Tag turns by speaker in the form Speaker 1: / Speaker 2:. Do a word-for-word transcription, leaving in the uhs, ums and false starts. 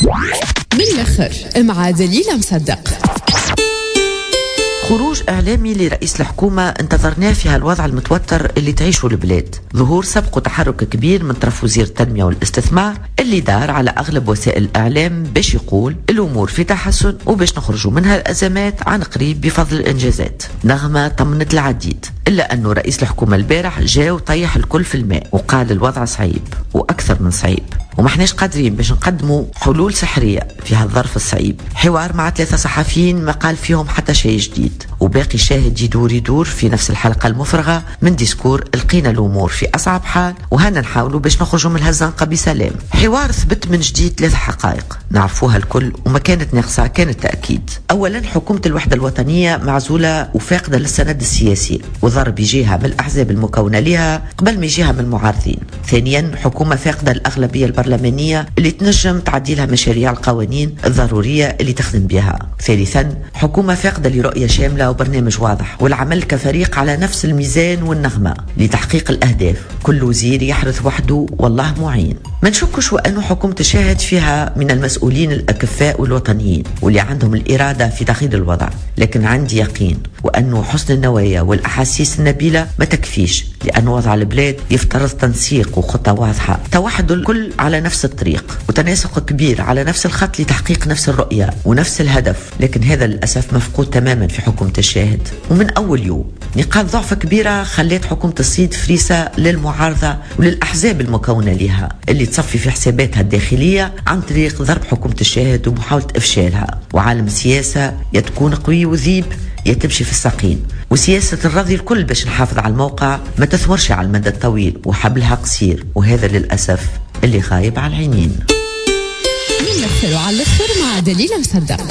Speaker 1: من الاخر مع دليلة مصدق.
Speaker 2: خروج إعلامي لرئيس الحكومة انتظرناه في هالوضع المتوتر اللي تعيشه البلاد. ظهور سبق تحرك كبير من طرف وزير التنمية والاستثمار اللي دار على أغلب وسائل الإعلام باش يقول الأمور في تحسن وباش نخرجوا منها الأزمات عن قريب بفضل الإنجازات. نغمة طمنت العديد، إلا أنه رئيس الحكومة البارح جاء وطيح الكل في الماء وقال الوضع صعيب وأكثر من صعيب وما احناش قادرين باش نقدموا حلول سحرية في هالظرف الصعيب. حوار مع ثلاثة صحفيين ما قال فيهم حتى شيء جديد، وباقي شاهد يدور يدور في نفس الحلقة المفرغة من discours لقينا الأمور في أصعب حال وهنا نحاولوا باش نخرجوا من هالزنقة بسلام. حوار ثبت من جديد ثلاث حقائق نعرفوها الكل وما كانت ناقصة كانت تأكيد. أولا، حكومة الوحدة الوطنية معزولة وفاقدة للسند السياسي وضرب يجيها من الأحزاب المكونة لها قبل ما يجيها من المعارضين. ثانيا، حكومة فاقدة الأغلبية البرلمانية اللي تنجم تعديلها مشاريع القوانين الضرورية اللي تخدم بها. ثالثا، حكومة فاقدة لرؤية شاملة وبرنامج واضح والعمل كفريق على نفس الميزان والنغمة لتحقيق الأهداف، كل وزير يحرث وحده والله معين. ما نشكش وأنه حكومة الشاهد فيها من المسؤولين الأكفاء والوطنيين واللي عندهم الإرادة في تغيير الوضع، لكن عندي يقين وأنه حسن النوايا والأحاسيس النبيلة ما تكفيش، لأن وضع البلاد يفترض تنسيق وخطة واضحة، توحد الكل على نفس الطريق وتناسق كبير على نفس الخط لتحقيق نفس الرؤية ونفس الهدف، لكن هذا للأسف مفقود تماما في حكومة الشاهد. ومن أول يوم نقاط ضعف كبيرة خلت حكومة الصيد فريسة للمعارضة وللأحزاب المكونة لها اللي تصفي في حساباتها الداخلية عن طريق ضرب حكومة الشاهد ومحاولة إفشالها. وعالم السياسة يا تكون قوي وذيب يا تمشي في الساقين، وسياسة الرضي الكل باش نحافظ على الموقع ما تثمرش على المدى الطويل وحبلها قصير، وهذا للأسف اللي غايب على العينين.
Speaker 1: من الآخر وعلى الآخر مع دليلة مصدق.